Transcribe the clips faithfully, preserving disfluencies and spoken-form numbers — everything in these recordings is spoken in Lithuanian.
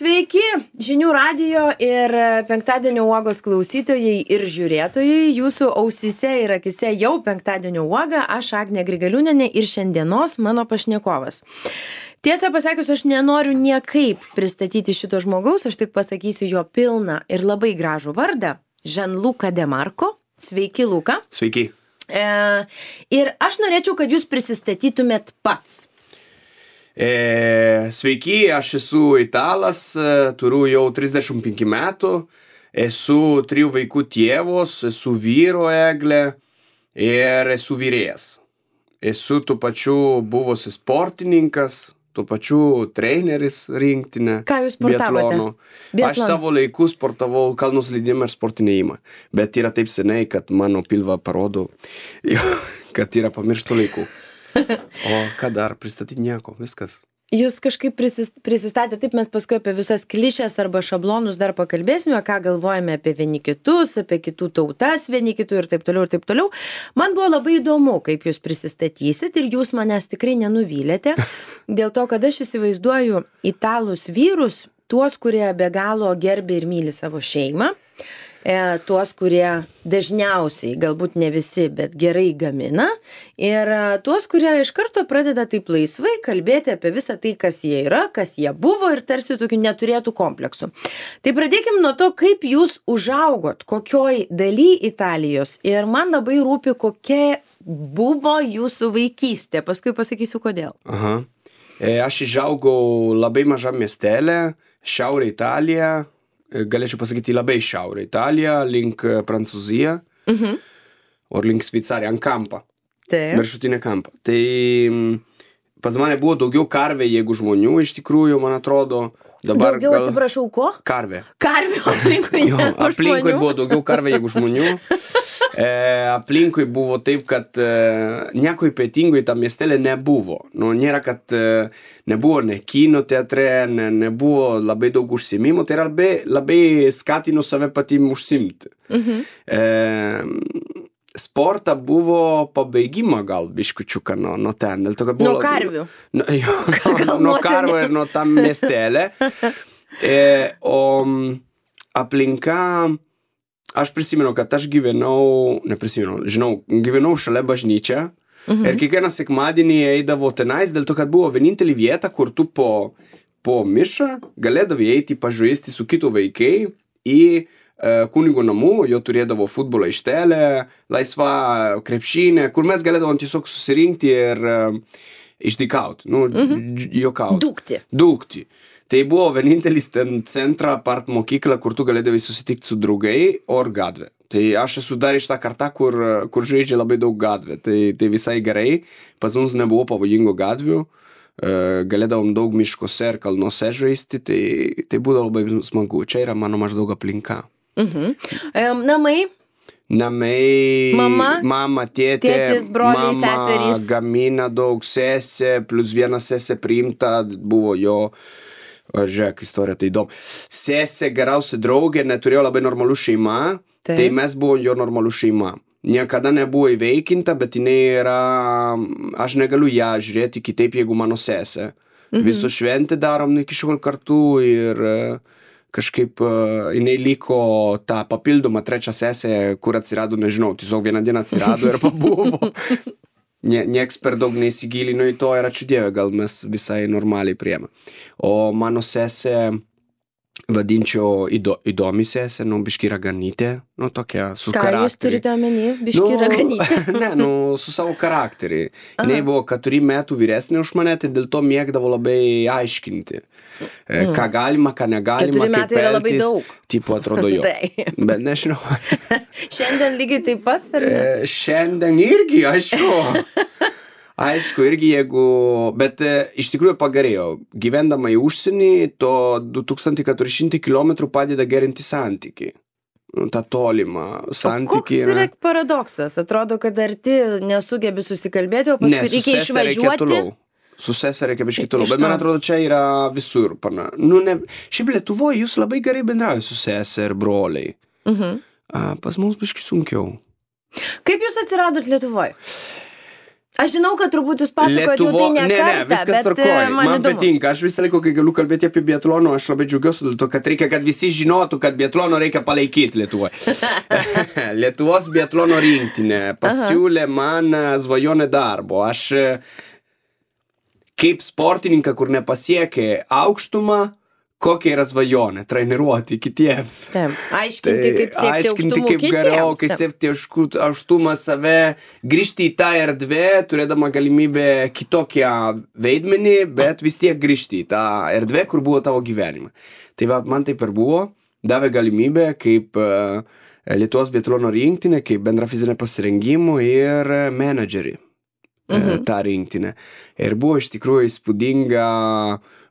Sveiki, žinių radijo ir penktadienio uogos klausytojai ir žiūrėtojai. Jūsų ausyse ir akise jau penktadienio uoga, aš Agnė Grigaliūnienė ir šiandienos mano pašnekovas. Tiesą pasakius, aš nenoriu niekaip pristatyti šito žmogaus, aš tik pasakysiu jo pilną ir labai gražų vardą. Gianluca De Marco. Sveiki, Luka. Sveiki. E, ir aš norėčiau, kad jūs prisistatytumėt pats. E, sveiki, aš esu italas, turiu jau trisdešimt penki metų, esu trijų vaikų tėvos, esu vyro eglė ir esu vyrėjas. Esu tuo pačiu buvusi sportininkas, tuo pačiu treneris rinktinė. Ką jūs sportavote? Biatlono. Aš savo laiku sportavau kalnų slidimą ir sportinį ėjimą, bet yra taip seniai, kad mano pilva parodo, kad yra pamirštų laikų. O ką dar, pristatyti nieko, viskas. Jūs kažkaip prisistatė, taip mes paskui apie visas klišės arba šablonus dar pakalbėsime, ką galvojame apie vieni kitus, apie kitų tautas vieni kitų ir taip toliau ir taip toliau. Man buvo labai įdomu, kaip jūs prisistatysit ir jūs manęs tikrai nenuvylėte, dėl to, kad aš įsivaizduoju italus vyrus, tuos, kurie be galo gerbia ir myli savo šeimą. E, tuos, kurie dažniausiai, galbūt ne visi, bet gerai gamina ir e, tuos, kurie iš karto pradeda taip laisvai kalbėti apie visą tai, kas jie yra, kas jie buvo ir tarsi tokių neturėtų kompleksų. Tai pradėkim nuo to, kaip jūs užaugot, kokioj daly Italijos ir man labai rūpi, kokia buvo jūsų vaikystė, paskui pasakysiu kodėl. Aha. E, aš išaugau labai mažam miestelė, Šiaurė Italija. Galėčiau pasakyti labai šiaurė Italija, link Prancūzija, uh-huh. o link Šveicarija, ant kampą, viršutinę kampą. Tai pas mane buvo daugiau karvė, jeigu žmonių, iš tikrųjų, man atrodo. Dabar daugiau, gal... atsiprašau, ko? Karvė. Karvė, aplinkui jo, aplinkui buvo daugiau karvė, jeigu žmonių. E, aplinkui buvo taip, kad e, nieko ypatingo į tą miestelę nebuvo. Nu, nėra, kad e, nebuvo ne kino teatre, ne, nebuvo labai daug užsiimimų, tai labai, labai skatino save patim užsimti. Mhm. E, sportą buvo pabaigimą gal biškučiuką nuo, nuo ten. Dėl to, kad buvo, nuo karvių. Nu, jo, nuo, nuo karvių ir nuo tam miestelė. E, o aplinka... Aš prisimenu, kad aš gyvenau, neprisimenu, žinau, gyvenau šalia bažnyčia mhm. ir kiekvieną sekmadienį eidavo tenais, dėl to, kad buvo vienintelė vieta, kur tu po, po mišą galėdavai eiti pažaisti su kitų vaikai į e, kunigo namų, jo turėdavo futbolo aikštelę, laisvą krepšinę, kur mes galėdavom tiesiog susirinkti ir e, išdykauti, nu, mhm. jokauti. Dūkti. Dūkti. Tai buvo vienintelis ten centra apart mokykla, kur tu galėdavai susitikti su draugai, or gatvė. Tai aš esu dar iš tą kartą, kur, kur žaidžia labai daug gatvė. Tai, tai visai gerai. Pas mums nebuvo pavojingo gatvių. Galėdavom daug miškose ir kalnuose žaisti. Tai, tai būdavo labai smagu. Čia yra mano maždaug aplinka. Mhm. Um, namai? Namai, mama, mama tėtė, tėtis, broliai, mama seserys. Gamina daug, sesė, plus viena sesė priimta, buvo jo... O, žiūrėk, istorija tai įdomu. Sesė geriausia draugė, neturėjo labai normalų šeima, tai, tai mes buvo jo normalų šeima. Niekada nebuvo įveikinta, bet jinai yra... Aš negaliu ją žiūrėti kitaip, jeigu mano sesė. Mhm. Visų šventę darom iki šiol kartu ir kažkaip jinai liko tą papildomą trečią sesę, kur atsirado, nežinau, tiesiog vieną dieną atsirado ir pabuvo. Nie, nieks per daug neįsigilino į to ir ačiū Dieve, gal mes visai normaliai priėmė. O mano sesė, vadinčiau įdo, įdomi sesė, nu, biški raganytė, nu, tokia, su Ką charakterį. Jūs turite omeny, biški nu, raganytė? Ne, nu, su savo charakterį. Jinai buvo keturi metų vyresnė už mane, tai dėl to mėgdavo labai aiškinti. Mm. Ką galima, ką negalima, keturi metai kaip yra labai elgtis. daug. Tipo atrodo jo. Tai. Bet nežinau. Šiandien lygiai taip pat? Ar ne? E, šiandien irgi, aišku. Aišku, irgi jeigu, bet e, iš tikrųjų pagerėjo. Gyvendama į užsienį, to du tūkstančiai keturi šimtai kilometrų padeda gerinti santykį. Ta tolima santykį. O koks yra paradoksas? Atrodo, kad arti nesugebi susikalbėti, o paskui ne, reikia išvažiuoti. Su sesė reikia biškį toliau, bet man atrodo, čia yra visur. Pana. Nu, ne, šiaip Lietuvoje jūs labai gerai bendraujate su sesė ir broliai. Uh-huh. A, pas mums biškį sunkiau. Kaip jūs atsiradot Lietuvoje? Aš žinau, kad turbūt jūs pasakojate jau tai ne, ne, kartą, ne, viskas bet tvarkoj. man, Man įdomu. patinka, aš visą laiką, kai galiu kalbėti apie biatloną, aš labai džiaugiuosi dėl to, kad reikia, kad visi žinotų, kad biatlono reikia palaikyti Lietuvoje. Lietuvos biatlono rinktinė pasiūlė man svajonę darbo. Aš kaip sportininką, kur nepasiekė aukštumą, kokia yra svajonė, treniruoti kitiems. Taip, aiškinti, kaip siekti aiškinti, aukštumų kaip kitiems. geriau, kaip siekti aukštumą save, grįžti į tą erdvę, turėdama galimybę kitokią veidmenį, bet vis tiek grįžti į tą erdvę, kur buvo tavo gyvenimą. Tai va, man taip ir buvo, davė galimybę kaip uh, Lietuvos biatlono rinktinė, kaip bendra fizinė pasirengimų ir menedžerį mhm. tą rinktinę. Ir buvo iš tikrųjų įspūdinga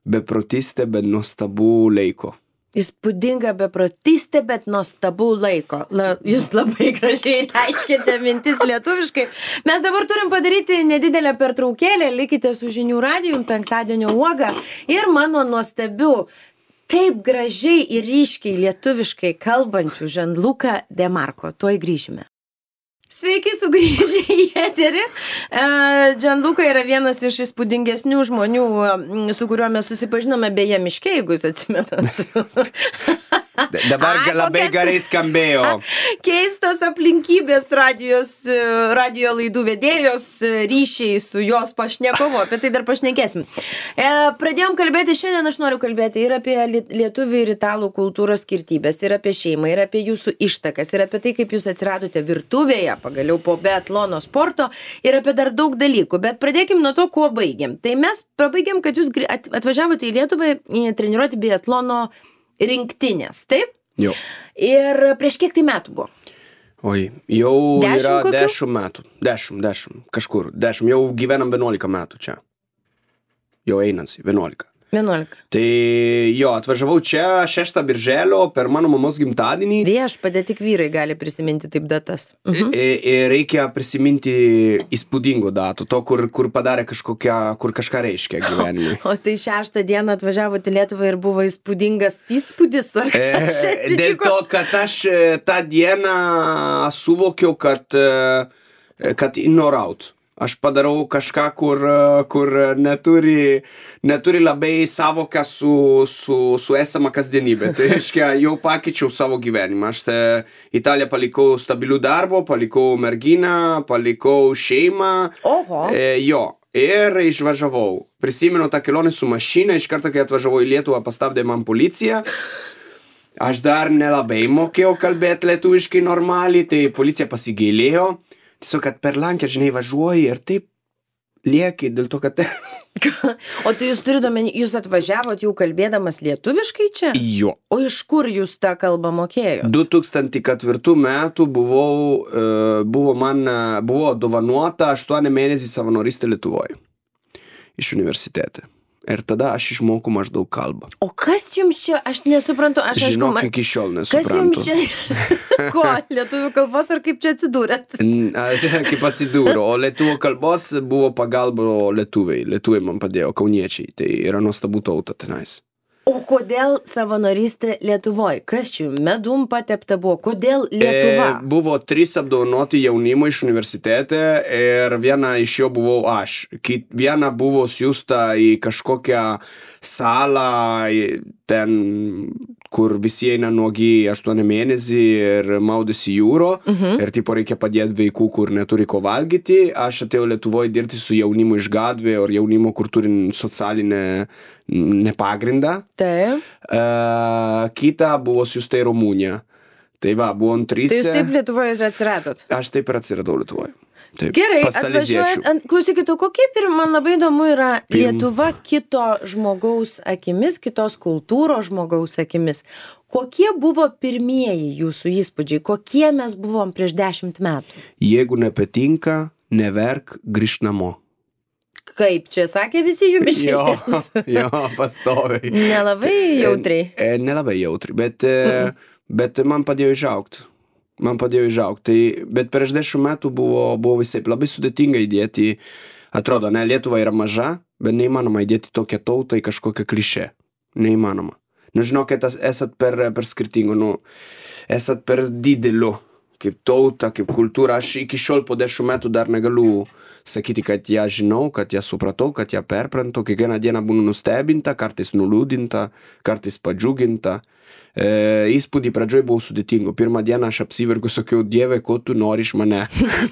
beprotystė, bet nuostabų laiko. Įspūdinga beprotystė, bet nuostabų laiko. La, jūs labai gražiai reiškite mintis lietuviškai. Mes dabar turim padaryti nedidelę pertraukėlę, likite su Žinių radiju, penktadienio uoga ir mano nuostabių, taip gražiai ir ryškiai lietuviškai kalbančių Gianluca De Marco. Tuoj grįžime. Sveiki sugrįžę į eterį. Gianluca yra vienas iš įspūdingesnių žmonių, su kuriuo mes susipažinome beje miške, jeigu jūs atsimenat. Dabar Ai, labai kokias... gerai skambėjo. Keistos aplinkybės radijos, radijo laidų vedėjos ryšiai su jos pašnekovu. Apie tai dar pašnekėsim. E, pradėjom kalbėti, šiandien aš noriu kalbėti ir apie lietuvių ir italų kultūros skirtybės, ir apie šeimą, ir apie jūsų ištakas, ir apie tai, kaip jūs atsiradote virtuvėje, pagaliau po biatlono sporto, ir apie dar daug dalykų. Bet pradėkim nuo to, kuo baigėm. Tai mes pabaigėm, kad jūs atvažiavote į Lietuvą treniruoti biatlono rinktinės, taip? Jo. Ir prieš kiek tai metų buvo? Oi, jau dešimt yra kokių? dešimt metų. Dešimt, dešimt, kažkur. Dešimt, jau gyvenam vienuolika metų čia. Jau einasi, vienuolika. vienuolika. Tai jo, atvažiavau čia šeštą birželio per mano mamos gimtadienį. Viešpatie, tik vyrai gali prisiminti taip datas. Mhm. Ir reikia prisiminti įspūdingų datų, to, kur, kur padarė kažkokią, kur kažką reiškia gyvenimui. O tai šeštą dieną atvažiavote į Lietuvą ir buvo įspūdingas įspūdis, ar kas čia atsitiko? Dėl to, kad aš tą dieną suvokiau, kad, kad ignoraut. Aš padarau kažką, kur, kur neturi, neturi labai savoką su, su, su esama kasdienybė. Tai reiškia, jau pakeičiau savo gyvenimą. Aš Italiją palikau stabilių darbo, palikau merginą, palikau šeimą. Oho. E, jo. Ir išvažiavau. Prisimenu tą kelionę su mašina, iš karto, kai atvažiavau į Lietuvą, pastabdė man policija. Aš dar nelabai mokėjau kalbėti lietuviškai normaliai, tai policija pasigailėjo. Tiesiog, kad per Lenkiją, žinai, važiuoji ir taip lieki dėl to, kad... O tai jūs turite omeny, jūs atvažiavot jau kalbėdamas lietuviškai čia? Jo. O iš kur jūs tą kalbą mokėjote? du tūkstančiai ketvirtų metų buvau, buvo man, buvo dovanuota aštuoni mėnesiai savanorystė Lietuvoje iš universitete. Ir tada aš išmokau maždaug kalbą. O kas jums čia, aš nesuprantu, aš aišku... Žinok, iki šiol nesuprantu. Kas jums čia, ko, lietuvių kalbos ar kaip čia atsidūrėt? Kaip atsidūriau, o lietuvių kalbos buvo pagalba lietuviai. Lietuviai man padėjo, kauniečiai, tai yra nuostabų tauta tenais. O kodėl savanorystė Lietuvoje? Kas čia medum patepta buvo? Kodėl Lietuva? E, buvo trys apdovanoti jaunimo iš universitete ir viena iš jo buvau aš. Viena buvo siųsta į kažkokią salą, ten, kur visi eina nuogi aštuoni mėnesį ir maudėsi jūro. Mhm. Ir tipo reikia padėti vaikų, kur neturi ko valgyti. Aš atėjau Lietuvoje dirbti su jaunimu iš gatvė ir jaunimo, kur turi socialinę nepagrindą. Taip. Uh, kita buvo siųsta į Rumuniją. Tai va, buvom trys. Tai jūs taip Lietuvoje ir atsiradot? Aš taip ir atsiradau Lietuvoje. Taip, gerai, atvažiuojat. Klausykit, o kokie, man labai įdomu yra Lietuva kito žmogaus akimis, kitos kultūros žmogaus akimis. Kokie buvo pirmieji jūsų įspūdžiai? Kokie mes buvom prieš dešimt metų? Jeigu nepatinka, neverk, grįžk namo. Kaip čia sakė visi jų biškės? Jo, jo, pastoviai. Nelabai jautriai. E, e, nelabai jautriai, bet, mm. bet man padėjo išaugti. Man padėjo išaugti. Tai, bet prieš dešimt metų buvo, buvo visai labai sudėtinga įdėti, atrodo, ne, Lietuva yra maža, bet neįmanoma įdėti tokią tautą į kažkokią klišę. Neįmanoma. Nu, žinokit, esat per, per skirtingų, nu, esat per dideliu, kaip tauta, kaip kultūra. Aš iki šiol po dešimt metų dar negaliu sakyti, kad ją žinau, kad ją supratau, kad ją perprantu, kiekvieną dieną būnu nustebinta, kartais nuliūdinta, kartais padžiuginta. E, įspūdį pradžioj buvo sudėtingo. Pirmą dieną aš apsiverkiu, sakiau, Dieve, ko tu nori iš mane?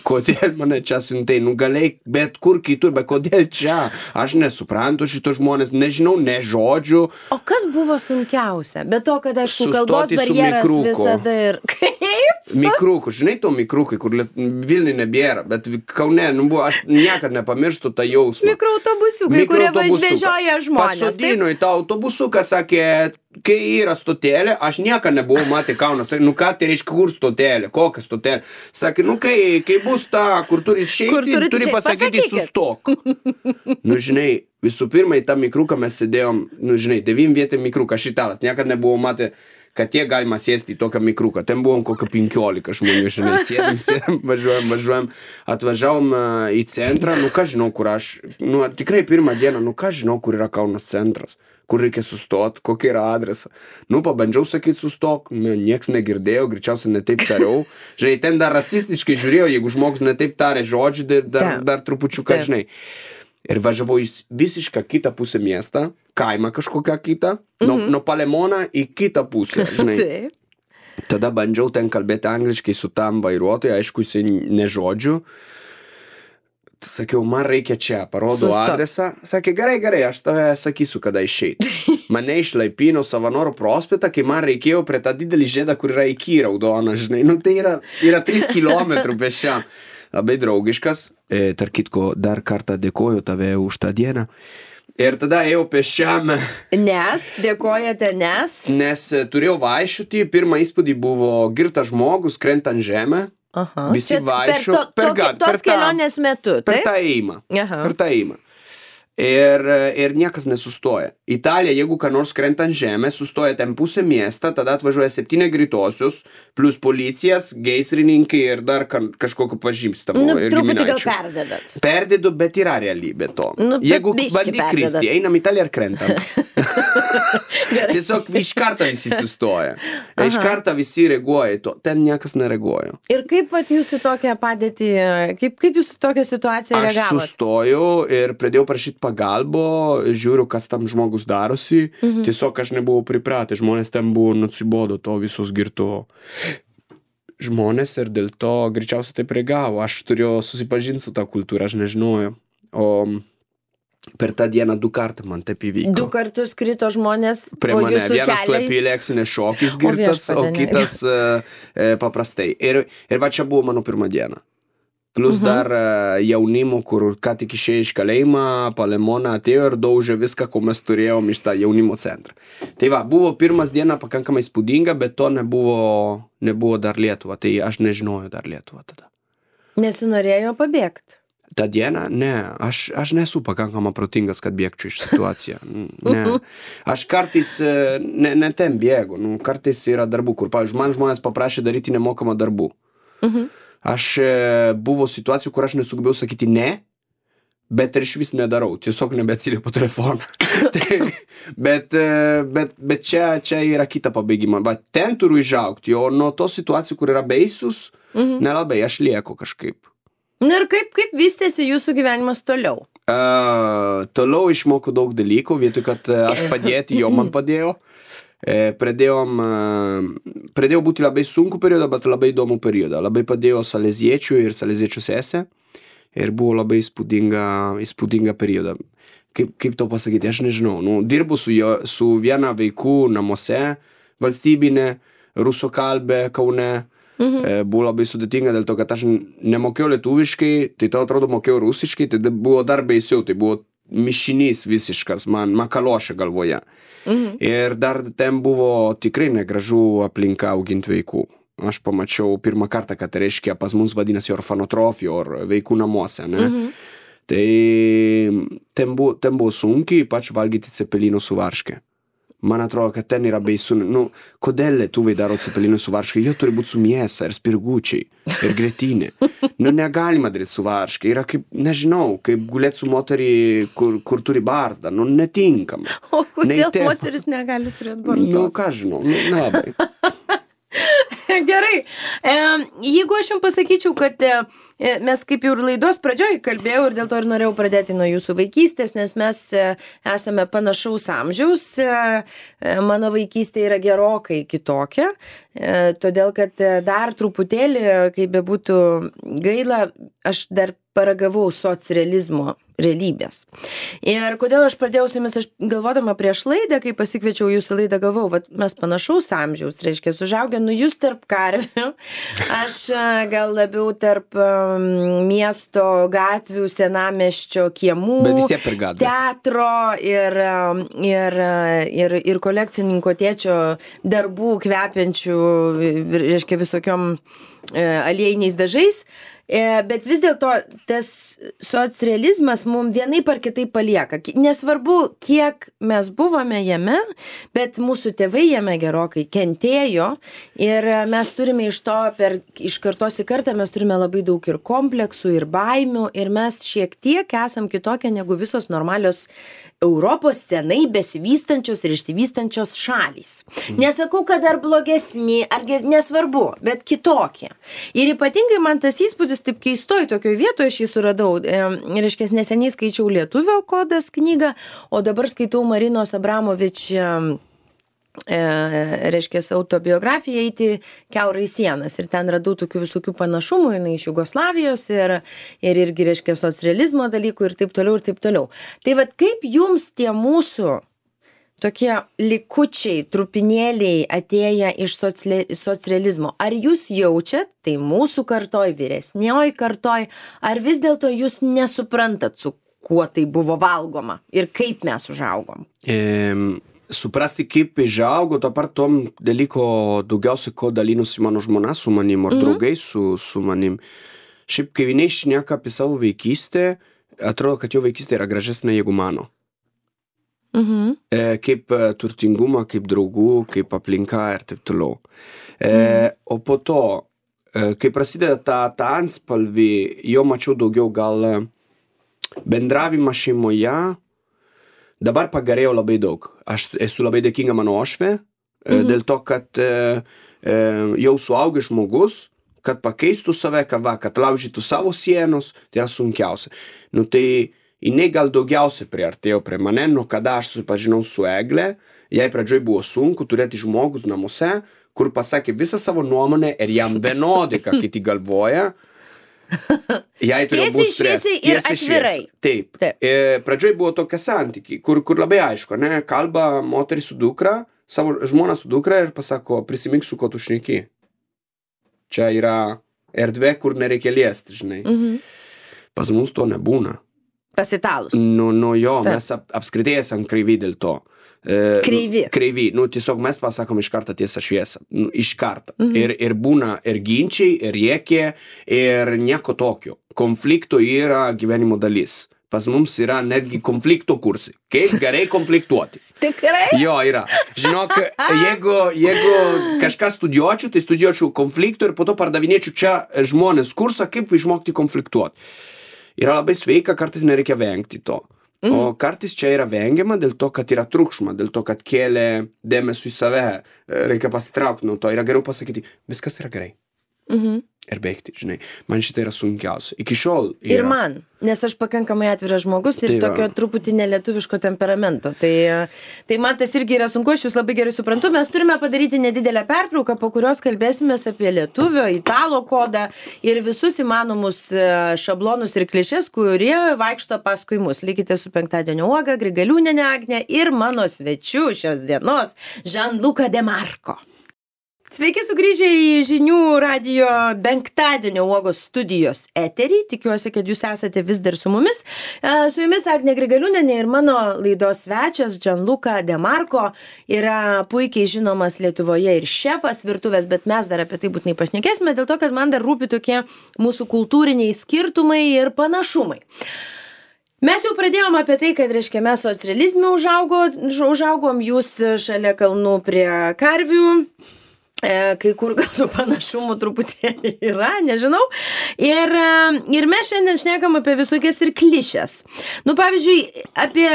Kodėl mane čia siuntei? Nu, galėjai bet kur kitur, bet kodėl čia? Aš nesuprantu šito žmonės, nežinau, ne žodžių. O kas buvo sunkiausia? Be to, kad aišku, kalbos barjeras visada ir... Kaip? Mikrūkų, žinai to mikrūkai, kur Vilniui nebėra, bet Kaune, nu, buvo, aš niekad nepamirštu tą jausmą. Mikroautobusiukai, kurie važvežioja žmonės. Pasodino į tą autobusuką, sakė, kai yra stotelė, aš niekad nebuvau matę Kauną. Sakė, nu ką tai reiškia, kur stotelė, kokia stotelė. Sakė, nu kai, kai bus ta, kur turi išeiti, turi, turi pasakyti sustok. Nu, žinai, visų pirma, į tą mikrūką mes sėdėjom, nu, žinai, devym vietė mikrūką, aš italas, niekad nebuvau matę, kad tiek galima sėsti į tokią mikrūką. Ten buvom kokio penkiolika žmonių, žinai, sėdim, sėdim, važiuojam, važiuojam, atvažiavom į centrą, nu ką žinau, kur aš, nu tikrai pirmą dieną, nu ką žinau, kur yra Kaunas centras, kur reikia sustot, kokia yra adresa. Nu, pabandžiau sakyti sustok, nieks negirdėjo, greičiausiai netaip tariau. Žinai, ten dar racistiškai žiūrėjau, jeigu žmogus netaip tarė žodžių, dar, dar trupučiuką, žinai. Ir važiavau į visišką kitą pusę miestą, kaimą kažkokią kitą, nuo, nuo Palemoną į kitą pusę, žinai. Tada bandžiau ten kalbėti angliškai su tam vairuotojui, aišku, jisai ne žodžių. Sakiau, man reikia čia, parodau adresą. Sakė, gerai, gerai, aš tave sakysiu, kada išeiti. Mane išlaipino Savanoro prospektą, kai man reikėjo prie tą didelį žiedą, kur yra iki raudona, žinai. Nu, tai yra, yra trys kilometrų pešiam. Labai draugiškas. E, tarp kitko, dar kartą dėkoju tave už tą dieną. Ir tada ėjau pešiam. Nes, dėkojate, nes? Nes turėjau vaikščioti, pirmą įspūdį buvo girtas žmogus, krenta ant žemę. Aha. Visi vaikščio. Per, to, per, per, tos per kelionės tą, metu, taip? Per tą ėjimą. Per tą ėjimą. Ir, ir niekas nesustoja. Italija, jeigu ką nors krenta ant žemę, sustoja ten pusę miestą, tada atvažiuoja septyni greitosius, plus policijas, gaisrininkai ir dar kažkokiu pažymstamu. Nu, truputį gal perdedat. Perdedu, bet yra realybė to. Nu, jeigu bandy kristi, einam į Italiją ir krentam. Tiesiog iš karto visi sustoja. Aha. Iš karto visi reaguoja į to. Ten niekas nereaguoja. Ir kaip vat jūs į tokią padėtį, kaip, kaip jūs į tokią situaciją reagavot? Aš sustojau ir pradėjau prašyti pagalbo, žiūriu, kas tam žmogus darosi. Mhm. Tiesiog aš nebuvau pripratęs, žmonės ten buvo nusibodo to visos girto žmonės ir dėl to greičiausiai taip reagavo. Aš turėjau susipažinti su tą kultūrą, aš nežinojau. O per tą dieną du kartą man taip įvyko. Du kartus krito žmonės prie mane. Vienas keliais... su epileksinė šokis girtas, o, o kitas e, paprastai. Ir, ir va čia buvo mano pirma diena. Plus dar uh, jaunimo, kur ką tik išėjo iš kalėjimą, Palemoną atėjo ir daužė viską, ko mes turėjom iš tą jaunimo centrą. Tai va, buvo pirmas diena pakankamai spūdinga, bet to nebuvo, nebuvo dar Lietuva. Tai aš nežinojau dar Lietuvą tada. Nesinorėjo pabėgti? Ta diena? Ne. Aš, aš nesu pakankamai protingas, kad bėgčiau iš situaciją. Ne. Aš kartais ne, ne ten bėgu. Nu, kartais yra darbų, kur, pavyzdžiui, man žmonės paprašė daryti nemokamą darbų. Mhm. Aš buvo situacijų, kur aš nesugebėjau sakyti ne, bet ir iš vis nedarau, tiesiog nebeatsiliepiu telefoną. tai, bet bet, bet čia, čia yra kita pabaigima. Va, ten turiu išaugti, o nuo tos situacijų, kur yra baisus, mhm. nelabai, aš lieku kažkaip. Na ir kaip, kaip vystėsi jūsų gyvenimas toliau? Uh, toliau išmokau daug dalykų, vietoj, kad aš padėti, jo man padėjo. E, pradėjom, pradėjau būti labai sunku periodą, bet labai įdomų periodą. Labai padėjo saleziečių ir saleziečių sesė ir buvo labai įspūdinga, įspūdinga periodą. Kaip, kaip to pasakyti, aš nežinau. Nu, dirbu su, jo, su viena vaikų namuose, valstybinė, rusokalbė Kaune. Mhm. E, buvo labai sudėtinga dėl to, kad aš nemokėjau lietuviškai, tai tau atrodo mokėjau rusiškai, tai buvo dar baisiau, tai buvo mišinys visiškas, man makalošė galvoje. Mhm. Ir dar ten buvo tikrai negražu aplinka auginti vaikų. Aš pamačiau pirmą kartą, kad reiškia pas mums vadinasi orfanotrofija, or vaikų namuose, ne? Mhm. Tai ten buvo, ten buvo sunkiai, ypač valgyti cepelinų su varške. Man atrodo, kad ten yra baisu. Nu, kodėl lietuviai daro cepelinų su varške? Jie turi būti su mėsa ir spirgučiai ir grėtinė. Nu, negalima daryti su varške. Yra kaip, nežinau, kaip gulėti su moterį, kur, kur turi barzdą. Nu, netinkama. O kodėl Neite... moteris negali turėti barzdos? Nu, ką žinau, nu, nelabai. gerai. E, jeigu aš jums pasakyčiau, kad e, mes kaip jau ir laidos pradžioj kalbėjau ir dėl to ir norėjau pradėti nuo jūsų vaikystės, nes mes e, esame panašaus amžiaus. E, mano vaikystė yra gerokai kitokia, e, todėl kad dar truputėlį, kaip bebūtų gaila, aš dar paragavau socrealizmo realybės. Ir kodėl aš pradėjau su jumis, aš galvodama prieš laidą, kai pasikviečiau jūsų laidą, galvojau, vat mes panašaus amžiaus, reiškia, užaugę, nu jūs tarp karvių, aš gal labiau tarp um, miesto gatvių, senamiesčio kiemų, teatro ir, ir, ir, ir kolekcininko tėčio darbų kvepiančių, reiškia, visokiom e, aliejiniais dažais. Bet vis dėlto tas socrealizmas mums vienaip ar kitaip palieka. Nesvarbu, kiek mes buvome jame, bet mūsų tėvai jame gerokai kentėjo ir mes turime iš to, per, iš kartos į kartą mes turime labai daug ir kompleksų, ir baimių ir mes šiek tiek esam kitokie negu visos normalios Europos senai besivystančios ir išsivystančios šalys. Nesakau, kad dar blogesni, ar nesvarbu, bet kitokie. Ir ypatingai man tas įspūdis taip keistoj tokioj vietoje aš jį suradau. E, reiškia, neseniai skaičiau Lietuvio kodas knygą, o dabar skaitau Marinos Abramovič e, reiškia, autobiografiją Eiti kiaurai sienas. Ir ten radau tokių visokių panašumų, jinai iš Jugoslavijos ir, ir irgi, reiškia, socrealizmo dalykų ir taip toliau ir taip toliau. Tai vat kaip jums tie mūsų tokie likučiai, trupinėliai atėję iš socrealizmo. Ar jūs jaučiat, tai mūsų kartoj, vyresnioj kartoj, ar vis dėlto jūs nesuprantat, su kuo tai buvo valgoma ir kaip mes užaugom? Ehm, suprasti, kaip užaugo, to part tom dalyko daugiausiai, ko dalinosi mano žmona su manim, ar mm-hmm. draugai su, su manim. Šiaip, kai jinai šneka apie savo vaikystę, atrodo, kad jo vaikystė yra gražesnė negu mano. Mhm. E, kaip e, turtingumą, kaip draugų, kaip aplinka ir taip toliau. E, mhm. O po to, e, kai prasideda ta, ta anspalvį, jo mačiau daugiau gal bendravimą šeimoje, dabar pagerėjo labai daug. Aš esu labai dėkinga mano ošvė, mhm. e, dėl to, kad e, e, jau suaugęs žmogus, kad pakeistų save, kad, va, kad laužytų savo sienos, tai yra sunkiausia. Nu tai jinai gal daugiausiai priartėjo prie mane, nuo kada aš susipažinau su Egle, jai pradžioj buvo sunku turėti žmogus namuose, kur pasakė visą savo nuomonę ir jam vienodai, ką kiti galvoja. Jai turėjo būti stresas. Tiesiai ir atvirai. Taip. Taip. E, pradžioj buvo tokie santykiai, kur, kur labai aišku, ne, kalba moteris su dukra, savo žmona su dukra ir pasako, prisimink, su ko tu šneki. Čia yra erdvė, kur nereikia liesti, žinai. Mhm. Pas mus to nebūna. Pasitalus. Nu, nu jo, Ta. mes ap, apskritai esam kreivi dėl to. E, kreivi. Kreivi. Nu, tiesiog mes pasakom iš karto tiesą šviesą. Nu, iš karto. Mhm. Ir, ir būna ir ginčiai, ir rėkė, ir nieko tokio. Konflikto yra gyvenimo dalis. Pas mums yra netgi konflikto kursai. Kaip gerai konfliktuoti. Tikrai? Jo, yra. Žinok, jeigu, jeigu kažką studijuočiau, tai studijuočiau konflikto ir po to pardavinėčiau čia žmonės kursą, kaip išmokti konfliktuoti. Yra labai sveika, kartais nereikia vengti to. Mm. O kartais čia yra vengiama dėl to, kad yra triukšma, dėl to, kad kėlė dėmesį į save, reikia pasitraukti nuo to. Yra geriau pasakyti, viskas yra gerai. Mhm. Ir baigti, žinai. Man šitai yra sunkiausia. Iki šiol yra. Ir man, nes aš pakankamai atviras žmogus ir tai tokio truputį nelietuviško temperamento. Tai, tai man tas irgi yra sunku, aš jūs labai gerai suprantu. Mes turime padaryti nedidelę pertrauką, po kurios kalbėsimės apie lietuvio, italo kodą ir visus įmanomus šablonus ir klišes, kurie vaikšto paskui mus. Likite su Penktadienio uoga, Grigaliūniene Agne ir mano svečiu šios dienos, Gianluca De Marco. Sveiki sugrįžę į Žinių radijo Penktadienio uogos studijos eterį. Tikiuosi, kad jūs esate vis dar su mumis. Su jumis Agnė Grigaliūnienė ir mano laidos svečias Gianluca De Marco yra puikiai žinomas Lietuvoje ir šefas virtuvės, bet mes dar apie tai būtinai pašnekėsime, dėl to, kad man dar rūpi tokie mūsų kultūriniai skirtumai ir panašumai. Mes jau pradėjom apie tai, kad, reiškia, mes socrealizme užaugo, užaugom, jūs šalia kalnų prie karvių. kai kur gal tų panašumų truputėlį yra, nežinau. Ir, ir mes šiandien šnekam apie visokias ir klišes. Nu, pavyzdžiui, apie,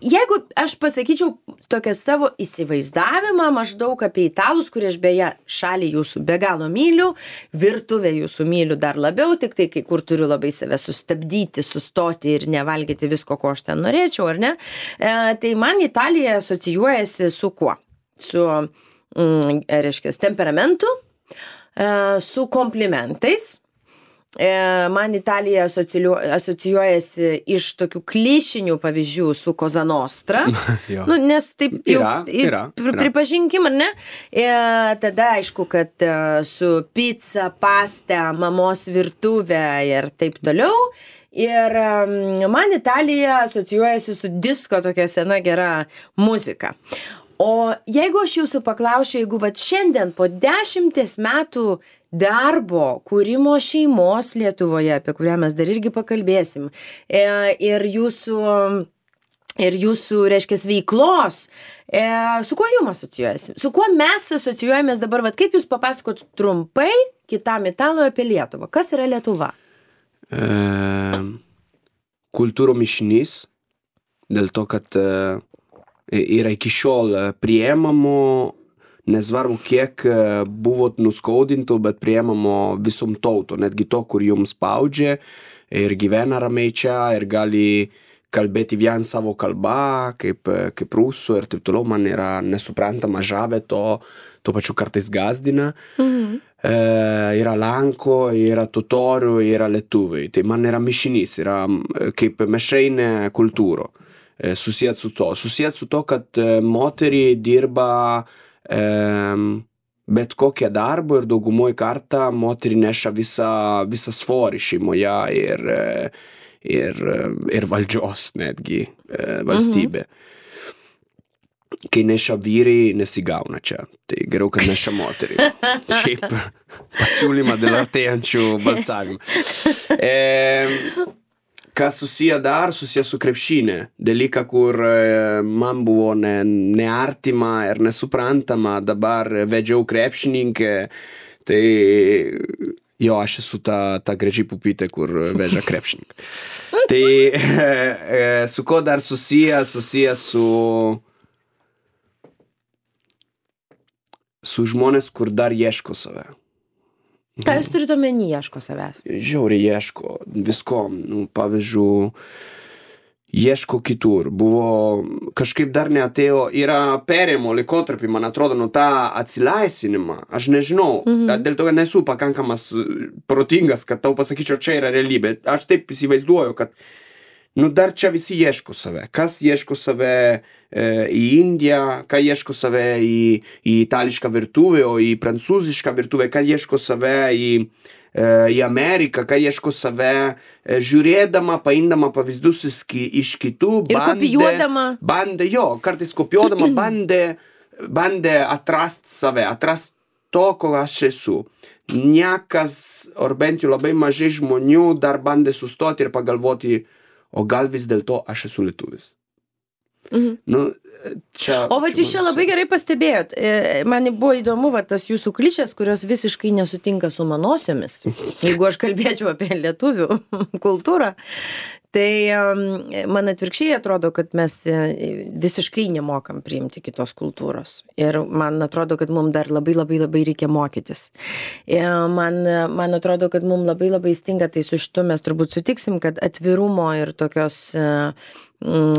jeigu aš pasakyčiau tokią savo įsivaizdavimą maždaug apie italus, kurie aš beje šalį jūsų be galo myliu, virtuvę jūsų myliu dar labiau, tik tai kai kur turiu labai save sustabdyti, sustoti ir nevalgyti visko, ko aš ten norėčiau, ar ne? E, tai man Italija asocijuojasi su kuo? Su Mm, reiškia, temperamentu, e, su komplimentais. E, man Italija asocijuojasi iš tokių klišinių pavyzdžių su Cosa Nostra. Nu, nes taip jau yra, yra, yra. Pripažinkim, ar ne? E, tada aišku, kad e, su pizza, pasta, mamos virtuvė ir taip toliau. Ir um, man Italija asocijuojasi su disko tokia sena gera muzika. O jeigu aš jūsų paklausčiau, jeigu vat šiandien po dešimties metų darbo, kūrimo šeimos Lietuvoje, apie kurią mes dar irgi pakalbėsim, ir jūsų, ir jūsų reiškia, veiklos, su kuo jums asocijuojasi? Su kuo mes asocijuojamės dabar? Vat kaip jūs papasakot trumpai kitam italui apie Lietuvą? Kas yra Lietuva? E, kultūro mišinys, dėl to, kad e, yra iki šiol priemamo, nesvarbu kiek buvot nuskaudintų, bet priemamo visom tauto, netgi to, kur jums spaudžia ir gyvena ramiai čia ir gali kalbėti vien savo kalbą, kaip, kaip rusų ir taip toliau, man yra nesuprantama, žavė to, to pačiu kartais gazdina. Mhm. E, yra Lanko, yra Totorių, yra Lietuviai. Tai man yra mišinys, yra kaip mišrainė kultūro. Susijęs su to. Susijęs su to, kad moteriai dirba e, bet kokią darbą ir daugumoj kartą moterį neša visą, visą svorį šeimoje ir, ir, ir valdžios netgi valstybė. Mhm. Kai neša vyrai, nesigauna čia. Tai geriau, kad neša moterį. Šiaip pasiūlymą dėl artėjančių balsavimų. E, Kas susiję dar, susiję su krepšinė. Dalyka, kur man buvo ne, neartima ir nesuprantama, dabar vedžiau krepšininkę, tai jo, aš esu ta, ta graži pupytė, kur veža krepšininką. Tai su ko dar susiję, susiję su, su žmonės, kur dar ieško save. Ką jūs turite omeny, ieško savęs? Žiauriai ieško visko, nu, pavyzdžiui, ieško kitur. Buvo, kažkaip dar neatėjo, yra perėjimo laikotarpį, man atrodo, nu tą atsilaisvinimą. Aš nežinau, mhm. dėl to, kad nesu pakankamas protingas, kad tau pasakyčiau, čia yra realybė. Aš taip įsivaizduoju, kad nu dar čia visi ieško save. Kas ieško save e, į Indiją, ką ieško save į, į itališką virtuvę, o į prancūzišką virtuvę, ką ieško save į, e, į Ameriką, ką ieško save e, žiūrėdama, paimdama pavyzdus iš kitų. Ir bandė, kopijuodama. Bandė, jo, kartais kopijuodama, bandė, bandė atrast save, atrast to, ko aš esu. Niekas, ar bent jau labai mažai žmonių dar bandė sustoti ir pagalvoti, o gal vis dėlto aš esu lietuvis. Mhm. Nu, čia, o vat jūs čia labai gerai pastebėjot. Man buvo įdomu va, tas jūsų klišės, kurios visiškai nesutinka su manosiomis. Jeigu aš kalbėčiau apie lietuvių kultūrą, tai man atvirkščiai atrodo, kad mes visiškai nemokam priimti kitos kultūros. Ir man atrodo, kad mums dar labai labai labai reikia mokytis. Man, man atrodo, kad mums labai labai stinga, tai su šitu mes turbūt sutiksim, kad atvirumo ir tokios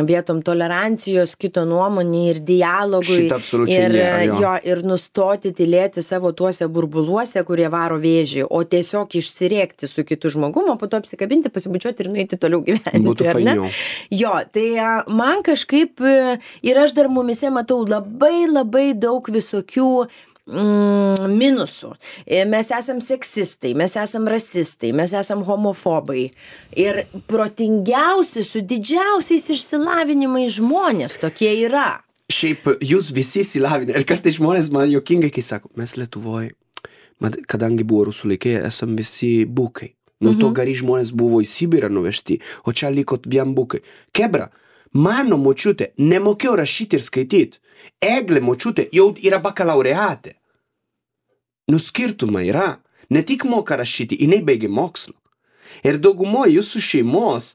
vietom tolerancijos, kito nuomonė ir dialogui ir, nėra, jo. Jo, ir nustoti tylėti savo tuose burbuluose, kurie varo vėžį, o tiesiog išsirėkti su kitu žmogumu, po to apsikabinti, pasibučiuoti ir nueiti toliau gyventi. Būtų fainiau. Jo, tai man kažkaip ir aš dar mumise matau labai labai daug visokių Mm, minusų. Mes esam seksistai, mes esam rasistai, mes esam homofobai. Ir protingiausi su didžiausiais išsilavinimais žmonės tokie yra. Šiaip jūs visi išsilavinę. Ir kartais žmonės man juokingai, kai sako, mes Lietuvoje, kadangi buvo rusų laikai, esam visi bukai. Nu, to gari žmonės buvo į Sibirą nuvežti, o čia likot vien bukai. Kebra, mano močiutė nemokėjo rašyti ir skaityti. Eglė močiutė jau yra bakalaureatė. Nu skirtumai yra. Ne tik moka rašyti, jinai baigė mokslą. Ir daugumoje jūsų šeimos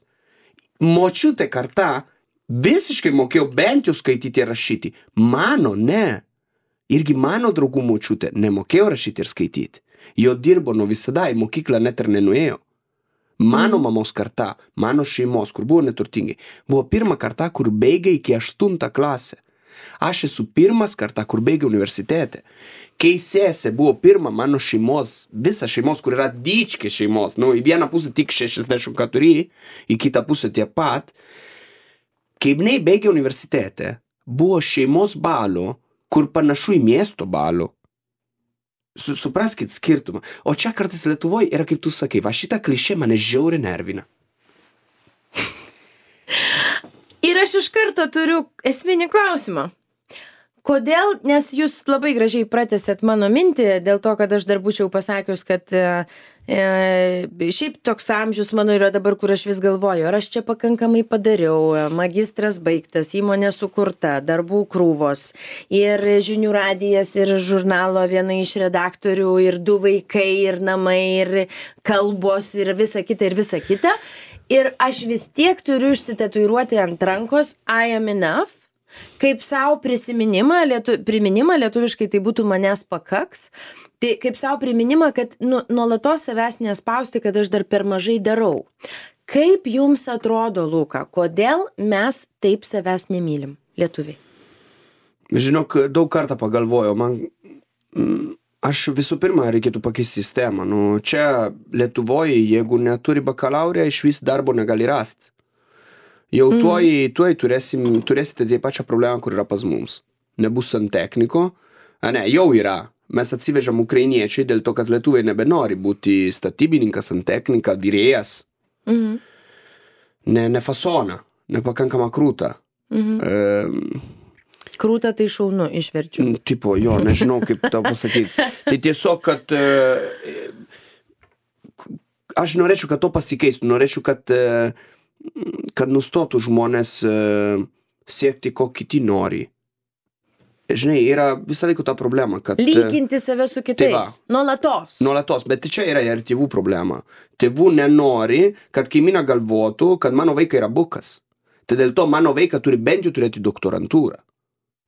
močiutė karta visiškai mokėjo bent jau skaityti ir rašyti. Mano ne. Irgi mano draugų močiutė nemokėjo rašyti ir skaityti. Jo dirbo nuo visada, į mokyklą net ir nenuėjo. Mano mm. mamos karta, mano šeimos, kur buvo neturtingi, buvo pirma karta, kur baigė iki aštuntą klasę. Aš esu pirmas karta, kur baigė universitete. Kai sesė buvo pirma mano šeimos, visa šeimos, kur yra dičkė šeimos, nu, į vieną pusę tik šešiasdešimt keturi, į kitą pusę tiek pat. Kai jinai baigė universitete, buvo šeimos balo, kur panašu į miesto balo. Supraskit skirtumą. O čia kartais Lietuvoje yra, kaip tu sakai, va šitą klišė mane žiauriai nervina. Ir aš iš karto turiu esminį klausimą. Kodėl, nes jūs labai gražiai pratęsėt mano mintį, dėl to, kad aš dar būčiau pasakius, kad e, šiaip toks amžius mano yra dabar, kur aš vis galvoju, ar aš čia pakankamai padariau, magistras baigtas, įmonė sukurta, darbų krūvos, ir žinių radijas, ir žurnalo viena iš redaktorių, ir du vaikai, ir namai, ir kalbos, ir visa kita, ir visa kita. Ir aš vis tiek turiu išsitatuiruoti ant rankos I am enough, kaip savo prisiminimą, lietu, priminimą, lietuviškai tai būtų manęs pakaks, tai kaip savo priminimą, kad nu, nuolatos savęs nespausti, kad aš dar per mažai darau. Kaip jums atrodo, Luka, kodėl mes taip savęs nemylim, lietuviai? Žinok, daug kartą pagalvojau, man, aš visų pirma reikėtų pakeisti sistemą. Nu, čia Lietuvoje, jeigu neturi bakalaurę, iš vis darbo negali rasti. Jau tuoj, tuoj turėsim, turėsite tie pačią problemą, kur yra pas mums. Nebus santechniko. A ne, jau yra. Mes atsivežam ukrainiečiai dėl to, kad lietuviai nebenori būti statybininkas, santechnika, virėjas. Mhm. Ne, ne fasona, nepakankama krūta. Mhm. E, krūta tai šaunu, išverčiu. Tipo, jo, nežinau, kaip tau pasakyti. Tai tiesiog, kad e, aš norėčiau, kad to pasikeistų. Norėčiau, kad e, kad nustotų žmonės uh, siekti, ko kiti nori. Žinai, yra visą laiką ta problema, kad... Lyginti save su kitais. Tai nuolatos. Nuolatos, bet čia yra ir tėvų problema. Tėvų nenori, kad kaimyna galvotų, kad mano vaikai yra bukas. Tai dėl to mano vaiką turi bent jau turėti doktorantūrą.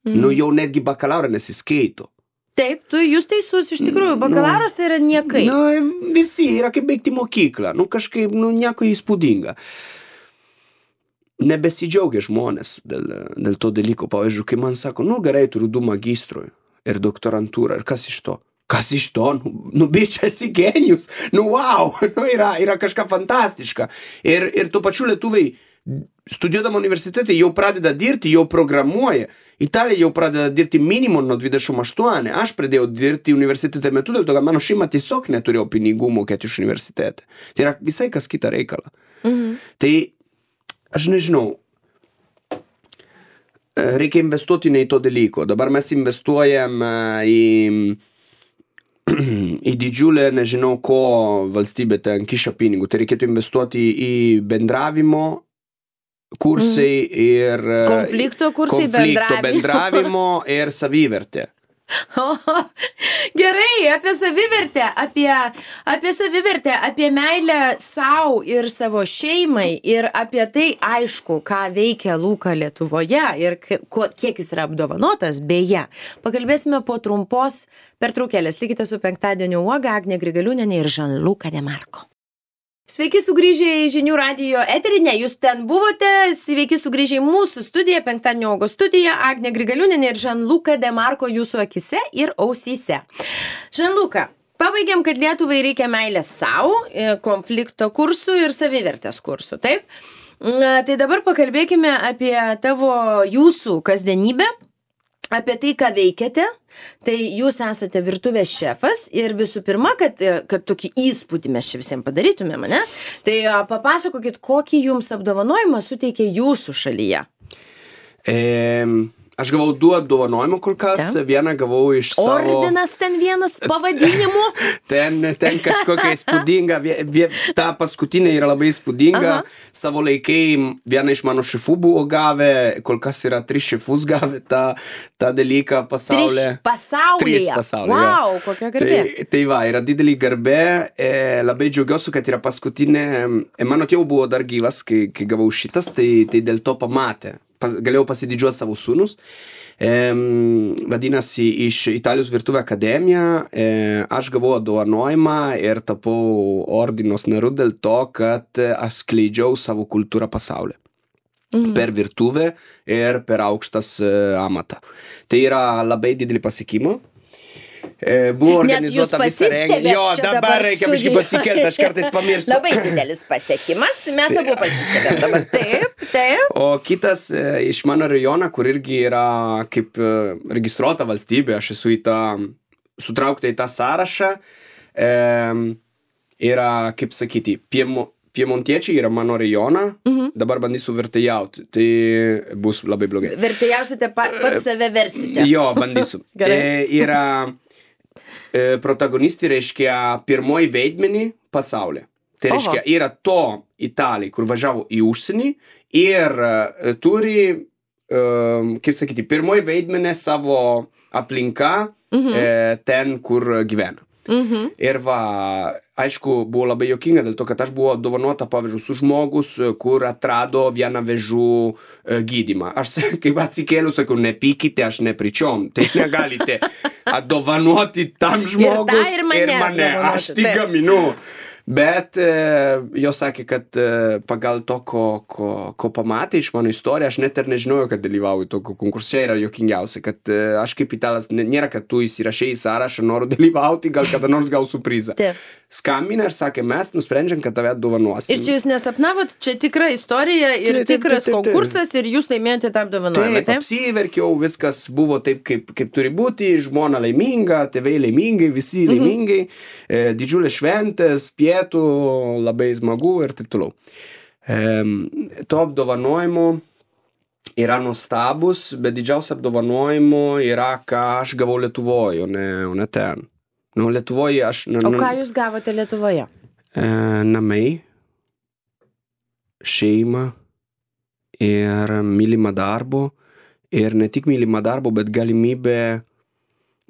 Mm. Nu, jau netgi bakalaurą nesiskaito. Taip, tu jūs teisus, iš tikrųjų, bakalauras tai yra niekai. Nu, visi yra kaip baigti mokyklą. Nu, kažkaip, nu, nieko įspūdinga. Nebesidžiaugia žmonės dėl, dėl to dalyko. Pavyzdžiui, kai man sako, nu gerai, turiu du magistrų ir doktorantūrą. Ir kas iš to? Kas iš to? Nu, nu bičia, esi genijus. Nu, wow, nu, yra, yra kažką fantastiška. Ir, ir tuo pačiu lietuviai, studijuodama universitete, jau pradeda dirbti, jau programuoja. Italija jau pradeda dirbti minimum nuo dvidešimt aštuoni. Aš pradėjau dirbti universitete metu, dėl to, kad mano šeima tiesiog neturėjo pinigų mokėti iš universitete. Tai yra visai kas kita reikala. Mhm. Tai aš nežinau, reikia investuoti ne į to dalyko. Dabar mes investuojam į, į didžiulę, nežinau ko, valstybė ten kiša pinigų. Tai reikėtų investuoti į bendravimo kursai ir... Konflikto kursai, konflikto bendravimo ir savivertė. O, gerai, apie savivertę, apie, apie savivertę, apie meilę savo ir savo šeimai ir apie tai, aišku, ką veikia Luka Lietuvoje ir kiek jis yra apdovanotas, beje. Pakalbėsime po trumpos pertraukėlės. Likite su penktadienio uoga, Agnė Grigaliūnienė ir Žanluka Demarko. Sveiki sugrįžę į Žinių radijo eterį, ne, jūs ten buvote, sveiki sugrįžę į mūsų studiją, penktadienio uogo studiją, Agnė Grigaliūnienė ir Žanluka Demarko jūsų akise ir ausyse. Žanluka, pabaigėm, kad Lietuvai reikia meilės savo, konflikto kursų ir savivertės kursų, taip? Tai dabar pakalbėkime apie tavo jūsų kasdienybę, apie tai, ką veikiate. Tai jūs esate virtuvės šefas ir visų pirma, kad, kad tokį įspūdį mes čia visiems padarytumėm, ne? Tai papasakokit, kokį jums apdovanojimą suteikė jūsų šalyje? E, aš gavau du apdovanojimų kol kas, Ten? vieną gavau iš savo... Ordinas ten vienas pavadinimu. ten, ten kažkokia įspūdinga, vie, vie, ta paskutinė yra labai įspūdinga. Aha. Savo laikai vieną iš mano šefų buvo gavę, kol kas yra tris šefus gavę tą, tą dalyką pasaulyje. Tris pasaulyje. Tris pasaulyje. Wow, kokia garbė. Tai, tai va, yra didelį garbė, e, labai džiaugiuosi, kad yra paskutinė, e, mano tėvų buvo dar gyvas, kai, kai gavau šitas, tai, tai dėl to pamatė. Pas, galėjau pasididžiuoti savo sūnus. E, vadinasi, iš Italijos virtuvė akademija e, aš gavau apdovanojimą ir tapau ordinos nariu dėl to, kad aš skleidžiau savo kultūrą pasaulyje. Mhm. Per virtuvę ir per aukštas e, amatą. Tai yra labai didelį pasiekimą. E, buvo organizuota visą renginį. Jo, dabar, dabar reikia biškį pasikelti, aš kartais pamirštu. Labai didelis pasiekimas, mes abu pasistebėm dabar. Taip, taip. O kitas e, iš mano rajono, kur irgi yra kaip e, registruota valstybė, aš esu į tą, sutraukta į tą sąrašą, e, yra, kaip sakyti, piemo, piemontiečiai yra mano rajoną, mhm. dabar bandysiu vertėjauti, tai bus labai blogai. Vertėjausite, pa, pats save versite. Jo, bandysiu. e, yra e, protagonisti, reiškia, pirmoji veidmenį pasaulyje. Tai reiškia, Oho. Yra to Italijai, kur važiavo į užsienį ir e, turi, e, kaip sakyti, pirmoji veidmenį savo aplinką mhm. e, ten, kur gyvena. Mhm. Ir va, aišku, buvo labai jokinga dėl to, kad aš buvau dovanota, pavyzdžiui, su žmogus, kur atrado vieną vėžų e, gydymą. Aš, kaip atsikėliu, sakau, nepykite, aš nepričiom. Tai negalite atdovanoti tam žmogus ir, ir mane. Ir mane. Aš tik gaminu. Bet e, jo sakė, kad e, pagal to, ko, ko, ko pamatė iš mano istoriją, aš net ir nežinojau, kad dalyvauju tokio konkurse. Yra jokingiausia, kad e, aš kaip italas, nėra, kad tu įsirašai į sąrašą, noriu dalyvauti, gal kada nors gausiu prizą. Taip. Skambina ir sakė, mes nusprendžiam, kad tave atdovanosim. Ir čia jūs nesapnavot, čia tikra istorija ir taip, tikras taip, taip, taip, konkursas ir jūs laimėjote tą apdovanojimą. Taip, taip, apsiverkiau, viskas buvo taip, kaip, kaip turi būti, žmona laiminga, tėvai laimingai, visi mhm. laimingai, e, didžiulės šventės, pietų, labai smagu ir taip toliau. E, to apdovanojimo yra nuostabus, bet didžiausia apdovanojimo yra, ką aš gavau Lietuvoje, o ne, o ne ten. Nu, Lietuvoje aš... Nu, o ką jūs gavote Lietuvoje? E, namai, šeima ir mylimą darbo. Ir ne tik mylimą darbo, bet galimybė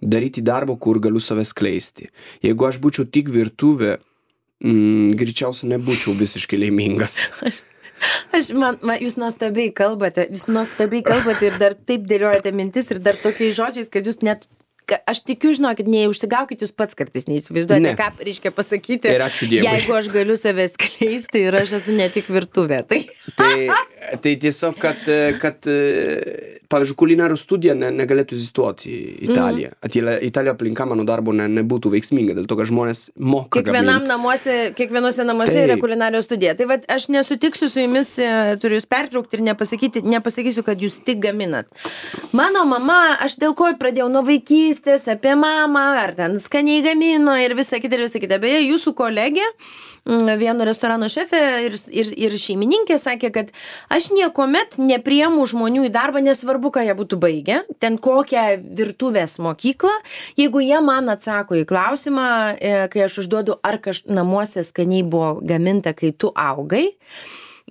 daryti darbo, kur galiu save skleisti. Jeigu aš būčiau tik virtuvė, mm, greičiausiai nebūčiau visiškai laimingas. Aš, aš man, man, jūs nuostabiai kalbate, jūs nuostabiai kalbate ir dar taip dėliojate mintis ir dar tokiais žodžiais, kad jūs net... Aš tikiu, žinokit, neužsigaukit jūs pats kartais, neįsivaizduojate, ne. Ką reiškia pasakyti, ir ačiū Dievui. Jeigu aš galiu save skleisti ir aš esu ne tik virtuvė. Tai, tai, tai tiesiog, kad, kad pavyzdžiui, kulinarių studija ne, negalėtų egzistuoti Italija. Mm. Italija aplinka mano darbo ne, nebūtų veiksminga, dėl to, kad žmonės moka Kiekvienam namuose, kiekvienose namuose tai. Yra kulinarijos studija. Tai vat, aš nesutiksiu su jumis, turiu jūs pertraukti ir nepasakyti, nepasakysiu, kad jūs tik gaminat. Mano mama, aš dėl ko pradėjau nuo vaikystės, apie mamą, ar ten skaniai gamino ir visą kitą ir visą kitą. Beje, jūsų kolegė, vieno restorano šefė ir, ir, ir šeimininkė sakė, kad aš niekuomet nepriemu žmonių į darbą, nesvarbu, ką jie būtų baigę, ten kokią virtuvės mokyklą, jeigu jie man atsako į klausimą, kai aš užduodu, ar kaž namuose skaniai buvo gaminta, kai tu augai.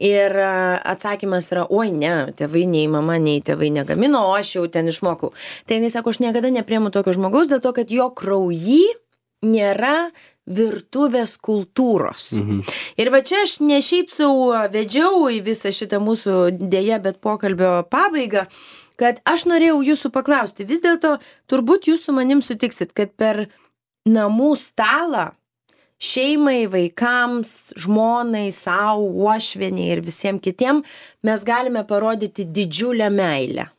Ir atsakymas yra, oi ne, tėvai nei mama, nei tėvai negamino, o aš jau ten išmokau. Tai jis sako, aš niekada nepriemu tokio žmogaus, dėl to, kad jo kraujy nėra virtuvės kultūros. Mhm. Ir va čia aš ne šiaip sau vedžiau į visą šitą mūsų dėja, bet pokalbio pabaigą, kad aš norėjau jūsų paklausti, vis dėlto turbūt jūs su manim sutiksit, kad per namų stalą šeimai, vaikams, žmonai, savo, uošvieniai ir visiems kitiem mes galime parodyti didžiulę meilę.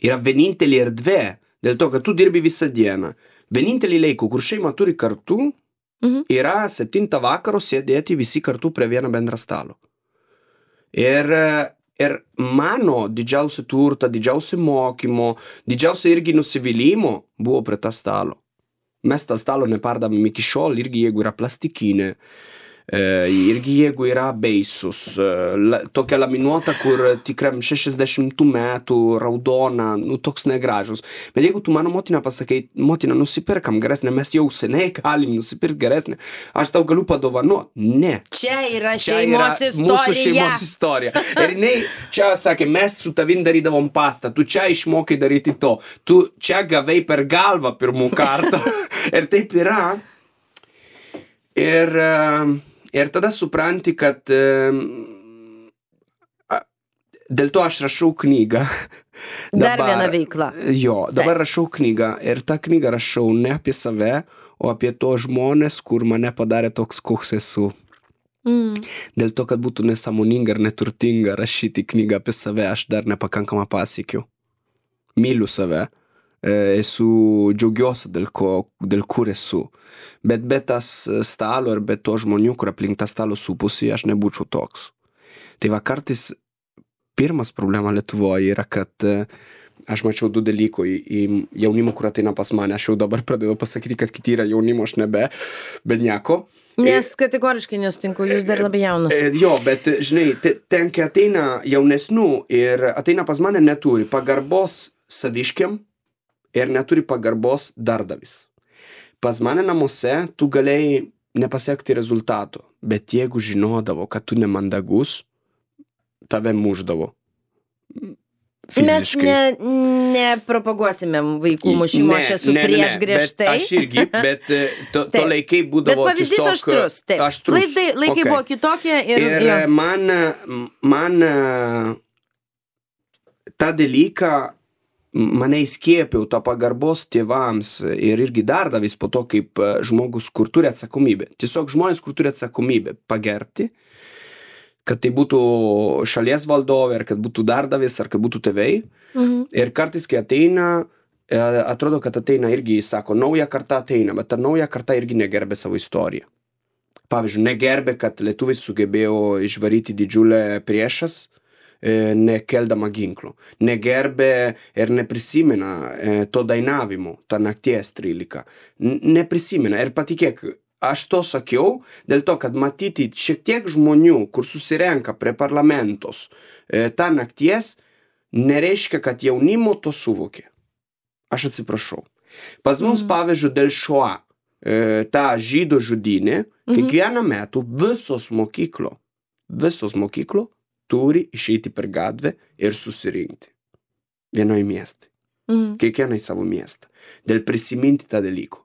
Yra vienintelė erdvė, dėl to, kad tu dirbi visą dieną. Vienintelį laiką, kur šeima turi kartu, mhm. yra septintą vakaro sėdėti visi kartu prie vieno bendro stalo. Ir, ir mano didžiausia turta, didžiausia mokymo, didžiausia irgi nusivylimų buvo prie tą stalo. Mes tą stalo nepardavėm iki šiol, irgi jeigu yra plastikinė. E, irgi jeigu yra beisus, la, tokia laminuota, kur tikram šešiasdešimtų metų raudona, nu toks negražus. Bet jeigu tu mano motina pasakai, motina, nusipirkam geresnę, mes jau seniai galim nusipirkti geresnę, aš tau galiu padovanuoti. Ne. Čia yra Čia šeimos yra istorija. Mūsų šeimos istorija. Ir jinai čia sakė, mes su tavim darydavom pastą, tu čia išmokai daryti to, tu čia gavai per galvą pirmų kartą. Ir taip yra. Ir... Uh, Ir tada supranti, kad e, dėl to aš rašau knygą. Dar viena veikla. Jo, dabar rašau knygą ir tą knygą rašau ne apie save, o apie to žmonės, kur mane padarė toks, koks esu. Mm. Dėl to, kad būtų nesąmoninga ir neturtinga rašyti knygą apie save, aš dar nepakankamą pasiekiu. Myliu save. Esu džiaugiuosi dėl, ko, dėl kur esu. Bet be tas stalo ir be to žmonių, kur aplink tą stalo supusi, aš nebūčiau toks. Tai va kartais pirmas problema Lietuvoje yra, kad aš mačiau du dalykų į, į jaunimo, kur ateina pas mane. Aš jau dabar pradėjau pasakyti, kad kiti yra jaunimo, aš nebe, bet nieko. Nes kategoriškai nesutinku, jūs dar labai jaunas. Jo, bet žinai, ten, kai ateina jaunesnių ir ateina pas mane, neturi pagarbos saviškiam, ir neturi pagarbos darbdavis. Pas mane namuose tu galėjai nepasiekti rezultato, bet jeigu žinodavo, kad tu nemandagus, tave muždavo. Fiziškai. Mes ne, nepropaguosime vaikų mušimo, aš esu ne, ne, prieš ne, griežtai. Bet aš irgi, bet to, to laikai būdavo bet pavyzdys tiesiog... aštrus, taip. Aštrus. Laikai, laikai okay. buvo kitokie ir... Ir jo. man, man tą dalyką mane įskiepiau to pagarbos tėvams ir irgi darbdavys po to kaip žmogus, kur turi atsakomybę. Tiesiog žmonės, kur turi atsakomybę pagerbti, kad tai būtų šalies valdovė, ar kad būtų darbdavys, ar kad būtų tėvai. Mhm. Ir kartais, kai ateina, atrodo, kad ateina irgi, sako, nauja karta ateina, bet ta nauja karta irgi negerbė savo istoriją. Pavyzdžiui, negerbė, kad lietuviai sugebėjo išvaryti didžiulę priešas, nekeldama ginklų. Negerbė ir neprisimena to dainavimo, tą nakties trylika. Neprisimena. Ir patikėk, aš to sakiau, dėl to, kad matyti šiek tiek žmonių, kur susirenka prie parlamentos tą nakties, nereiškia, kad jaunimo to suvokė. Aš atsiprašau. Pas mus, mm. pavyzdžiui, dėl Shoah, tą žydų žudynę, mm-hmm. kiekvieną metų visos mokyklo, visos mokyklo turi išeiti per gatvę ir susirinkti. Vienoje miestą. Mm. Kiekvieną į savo miestą. Dėl prisiminti tą dalyką.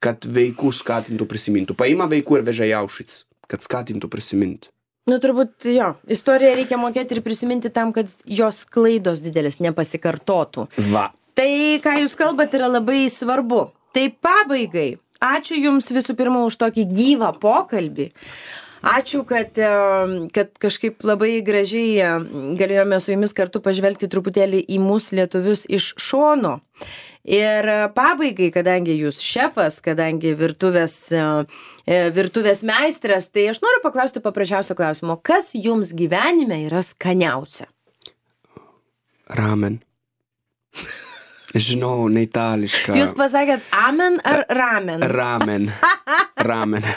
Kad vaikų skatintų prisimintų. Paima vaikų ir veža į Auschwitz. Kad skatintų prisiminti. Nu, turbūt jo. Istoriją reikia mokėti ir prisiminti tam, kad jos klaidos didelės nepasikartotų. Va. Tai, ką jūs kalbat, yra labai svarbu. Tai pabaigai. Ačiū Jums visų pirma už tokį gyvą pokalbį. Ačiū, kad, kad kažkaip labai gražiai galėjome su Jumis kartu pažvelgti truputėlį į mūsų lietuvius iš šono. Ir pabaigai, kadangi Jūs šefas, kadangi virtuvės, virtuvės meistras, tai aš noriu paklausti paprasčiausio klausimo. Kas Jums gyvenime yra skaniausia? Ramen. Žinau, ne itališka. Jūs pasakėt amen ar ramen? Ramen. Ramen.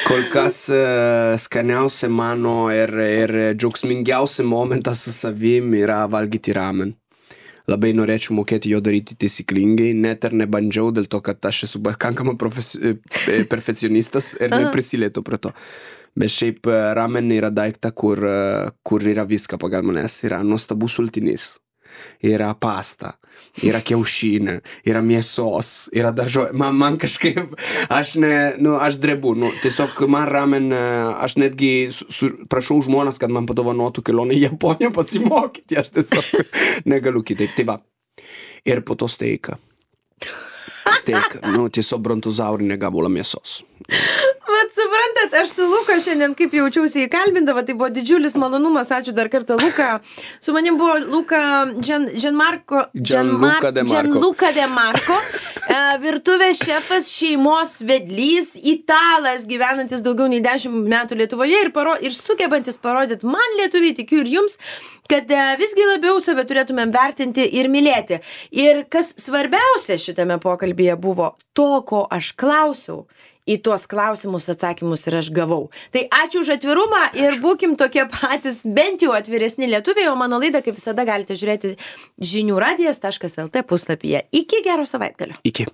Kol kas uh, skaniausia mano ir, ir džiaugsmingiausia momentas su savim yra valgyti ramen. Labai norėčiau mokėti jo daryti taisyklingai, net ir nebandžiau dėl to, kad aš esu pakankama profesi... perfekcionistas ir neprisilietu prie to. Bet šiaip ramen yra daikta, kur, kur yra viską pagal manęs. Yra nuostabus sultinys. Yra pasta, yra kiaušinė, yra mėsos, yra daržovė. Man, man kažkaip, aš ne, nu, aš drebu, nu, tiesiog man ramen, aš netgi su, su, prašau žmonas, kad man padovanotų kelionę į Japoniją pasimokyti, aš tiesiog negaliu kitaip. Tai va, ir po to steika. Steika, nu, tiesiog brontozaurinė gabalą mėsos. Bet suprantat, aš su Luka šiandien kaip jaučiausi įkalbindava, tai buvo didžiulis malonumas, ačiū dar kartą Luka. Su manim buvo Luka Gianmarco, Gianluca De Marco, Gianluca De Marco, virtuvės šefas, šeimos vedlys, italas, gyvenantis daugiau nei dešimt metų Lietuvoje ir, paro, ir sugebantis parodyti man lietuviai, tikiu ir jums, kad visgi labiau save turėtumėm vertinti ir mylėti. Ir kas svarbiausia šitame pokalbyje buvo to, ko aš klausiau, į tuos klausimus atsakymus ir aš gavau. Tai ačiū už atvirumą ir būkim tokie patys, bent jau atviresni lietuviai, o mano laidą, kaip visada, galite žiūrėti žinių radijas taškas lt puslapyje. Iki gero savaitgalio. Iki.